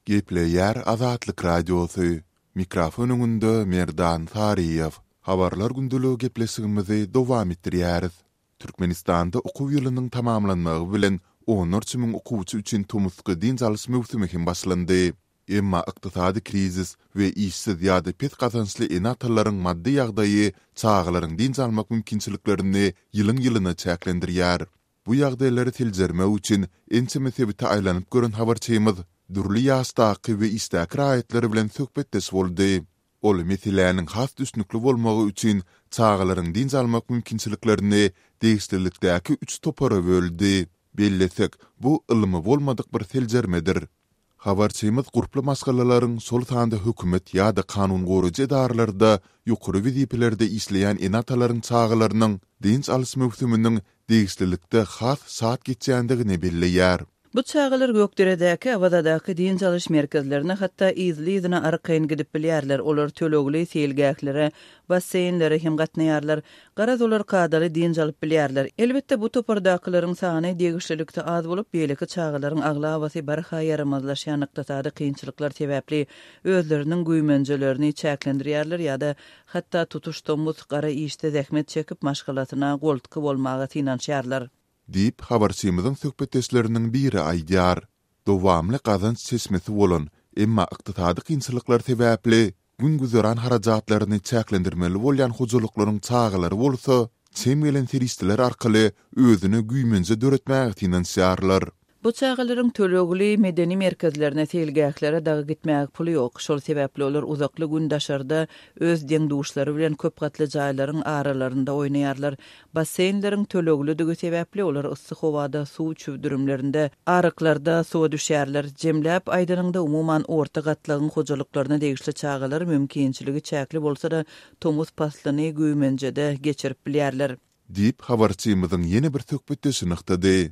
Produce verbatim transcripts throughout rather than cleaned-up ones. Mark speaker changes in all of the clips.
Speaker 1: Gepleýär Azatlyk Radiosy, Mikrofon öňünde Merdan Saryýew. Habarlar gündeligi gepleşigimizi dowam etdirýäris. Türkmenistanda okuw ýylynyň tamamlanmagy bilen onlarça müň okuwçy üçin tomusky dynç alyş möwsümi hem başlandy. Emma ykdysady krizis we işsiz ýa-da pes gazançly ene-atalaryň maddy ýagdaýy çagalaryň dynç almak mümkinçiliklerini ýylyň-ýylyna çäklendirýär. Bu ýagdaýlary seljermek üçin ençeme sebite aýlanyp gören habarçymyz dürli ýaşdaky we işdäki raýatlar bilen söhbetdeş boldy. Ol meseläniň has düşnükli bolmagy üçin çagalaryň dynç almak mümkinçiliklerini degişlilikdäki üç topara böldi. Bellesek, bu ylmy bolmadyk bir seljermedir. Habarçymyz gurply maşgalalaryň, şol sanda hökümet ýa-da kanun goraýjy edaralarda ýokary wezipelerde işleýän ene-atalaryň çagalarynyň dynç alyş möwsüminiň degişlilikde has şat geçýändigini belleýär.
Speaker 2: Bu çagalar Gökderedäki, Awazadaky dynç alyş merkezlerine hatda yzly-yzyna arkaýyn gidip bilýärler. Olar tölegli seýilgählere, basseýnlere hem gatnaýarlar. Garaz, olar kadaly dynç alyp bilýärler. Elbetde, bu topardakylaryň sany degişlilikde az bolup, beýleki çagalaryň aglabasy barha ýaramazlaşýan ykdysady kynçylyklar sebäpli özleriniň güýmenjelerini çäklendirýärler ýa-da hatda tutuş tomus gara işde zähmet çekip, maşgalasyna goltgy bolmaga synanyşýarlar.
Speaker 1: Diýip, habarçymyzyň söhbetdeşleriniň biri aýdýar. Dowamly gazanç çeşmesi bolan, emma ykdysady kynçylyklar sebäpli gün-güzeran harajatlaryny çäklendirmeli bolýan hojalyklaryň çagalary bolsa, çem gelen serişdeler arkaly özüne güýmenje döretmäge synanyşýarlar.
Speaker 2: Bu çagalaryň tölegli medeni merkezlerine, seýilgählere dagy gitmäge puly ýok. Şol sebäpli olar uzakly gün daşarda öz deň-duşlary bilen köp gatly jaýlaryň aralarynda oýnaýarlar. Basseýnleriň töleglidigi sebäpli olar yssy howada suw çüwdürimlerinde, aryklarda suwa düşýärler. Jemläp aýdanyňda, umuman, orta gatlagyň hojalyklaryna degişli çagalar mümkinçiligi çäkli bolsa-da, tomus paslyny güýmenjede geçirip bilýärler.
Speaker 1: Diýip, habarçymyzyň ýene bir söhbetdeşi nygtady.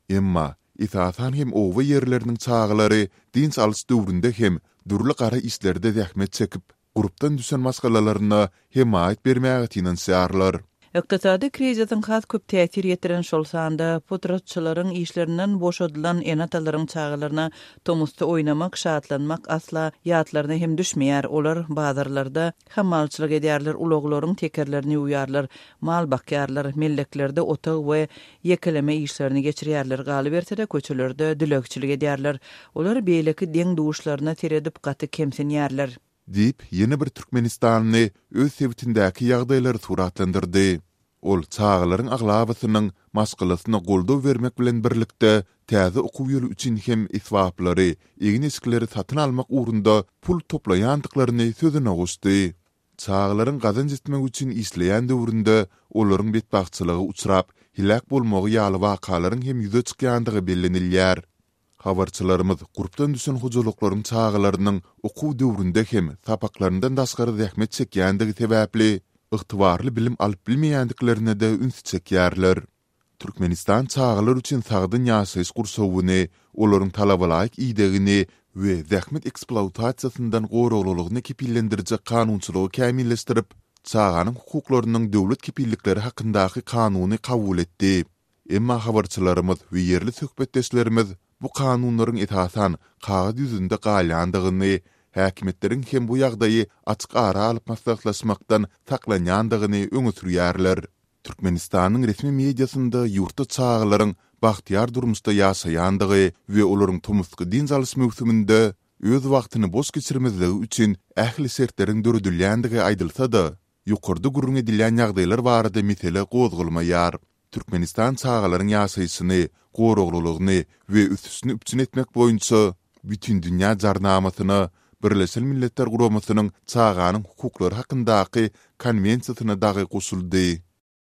Speaker 1: Emma, esasan hem oba ýerleriniň çagalary dynç alyş döwründe hem dürli gara işlerde zähmet çekip, gurpdan düşen maşgalalaryna hemaýat bermäge synanyşýarlar.
Speaker 2: Ykdysady krizisiň has köp täsir ýetiren, şol sanda potratçylaryň işlerinden boşadylan ene-atalaryň çagalaryna tomusda oýnamak, şatlanmak asla ýatlaryna hem düşmeýär. Olar bazarlarda hamalçylyk edýärler, ulaglaryň tekerlerini ýuwýarlar, mal bakýarlar, melleklerde otag we ýekeleme işlerini geçirýärler, galyberse-de, köçelerde dilegçilik edýärler. Olar beýleki deň-duşlaryna seredip gaty kemsinýärler.
Speaker 1: Diýip, ýene bir türkmenistanly öz sebitindäki ýagdaýlary suratlandyrdy. Ol çagalaryň aglabasynyň maşgalasyna goldaw bermek bilen birlikde, täze okuw ýyly üçin hem esbaplary, egin-eşikleri satyn almak ugrunda pul toplaýandyklaryny sözüne goşdy. Çagalaryň gazanç etmek üçin işleýän döwründe olaryň betbagtçylyga uçrap, heläk bolmagy ýaly wakalaryň hem ýüze çykýandygy bellenilýär. Habarçylarymyz gurpdan düşen hojalyklaryň çagalarynyň okuw döwründe hem sapaklaryndan daşgary zähmet çekýändigi sebäpli, ygtybarly bilim alyp bilmeýändiklerine-de ünsi çekýärler. Türkmenistan çagalar üçin sagdyn ýaşaýyş gurşawyny, olaryň talabalaýyk idegini we zähmet ekspluatasiýasyndan goraglylygyny kepillendirjek kanunçylygy kämilleşdirip, Çaganyň hukuklarynyň döwlet kepillikleri hakyndaky kanuny kabul etdi. Emma habarçylarymyz we ýerli söhbetdeşlerimiz bu kanunlaryň esasan kagyz ýüzünde galýandygyny, häkimiýetleriň hem bu ýagdaýy açyk ara alyp maslahatlaşmakdan saklanýandygyny öňe sürýärler. Türkmenistanyň resmi mediasynda ýurtda çagalaryň bagtyýar durmuşda ýaşaýandygy we olaryň tomusky dynç alyş möwsüminde öz wagtyny boş geçirmezligi üçin ähli şertleriň döredilýändigi aýdylsa-da, ýokarda gürrüň edilýän ýagdaýlar barada mesele gozgalmaýar. Türkmenistan çagalaryň ýaşaýşyny, goraglylygyny we ösüşini üpjün etmek boýunça Bütindünýä Jarnamasyna, Birleşen Milletler Guramasynyň Çaganyň hukuklary hakyndaky Konwensiýasyna dagy goşuldy.